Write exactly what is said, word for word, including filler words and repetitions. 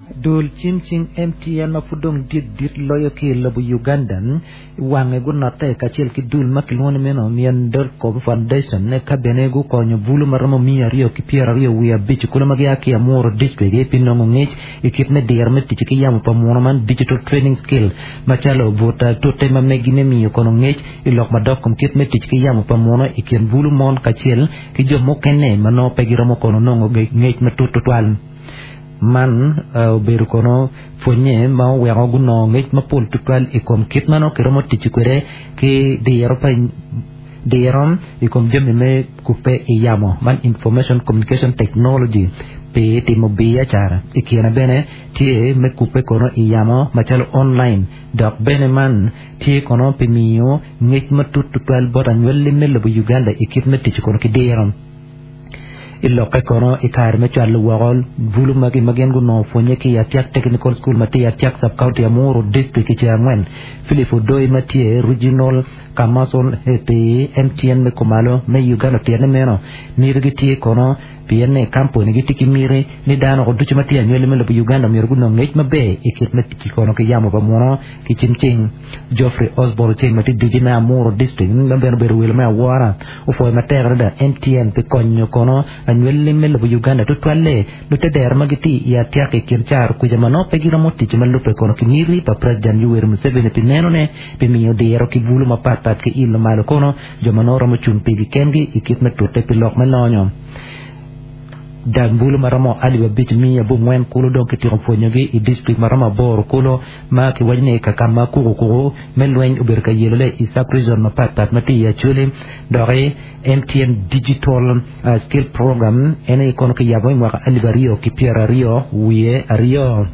Dul cim cing M T N ma pud dong dit dit loyo ki i lobo Uganda wange gunotte kacel ki dul ma kilwongo ni meno Miendelco Foundation ka bene gukonyo bulu ma romo miya aryo ki pyeraryo wiye abic kulu ma gia ki Amuru District pi nongo ngec i kit me diro me tic ki yamo pa muno man, digital training skill, macalo but tute ma megi me miyo kono ngec i lok madok kom kit me tic ki yamo pa muno i kin bulu mon kacel ki jo mukene ma nongo pe giromo kono nongo ngec matut tutwal. Man obedo kono pwonye ma oweko gunongo ngec mapol tutwal i kom kit ma nongo kiromo tic kwede ki diro pa diro i kom jami me kupe i yamo man, information communication technology, pi timo biacara. I kine bene tye me kupe kono i yamo macalo online, dok bene man tye kono pi miyo ngec matut tutwal bot anywali me lobo Uganda i kit me tic kono ki diro. I lokke kono i kare me cwalo woko bulu magi ma gin gunongo pwonye ki i Atiak Technical School ma tye i Atiak Sub-County, Amuru District i ceng angwen, Philip Odoi ma tye Regional Commercial pi M T N me kumalo me Uganda otyene meno miti gitye kono pien ni kampuni gitye ki miti ni dano ducu ma tye anywali me lobo Uganda myero gunong ngec maber i kit me tic kono ki yamo pa muno ki cim cing. Geoffrey Osborne Ceng ma tye D G me Amuru District ma bene obedo welo me awora opwoyo matek adada M T N pi konyo kono anywali me lobo Uganda, tutwalle lutedero ma gitye i Atiak i kin caro kuca ma nongo pe giromo tic ma lubbe kono ki miti pa President Yoweri Museveni pi nenone pi miyo diro ki bulu mapatpat ki ilo malo kono jo ma nongo romo cung pigi kengi i kit me tute pi lok me lonyo. Dag bulu ma romo alip abic miya abongwen kulu dong kityeko pwonyogi i district ma romo aboro kulu ma kiwaco ni ka ma kukukuku me lweny obedo ka yelole i sub region mapatpat ma tye i Acholi. Doki M T N Digital uh, Skill Program en aye kono kiyabo i mwaka alip aryo ki pyeraryo wiye aryo.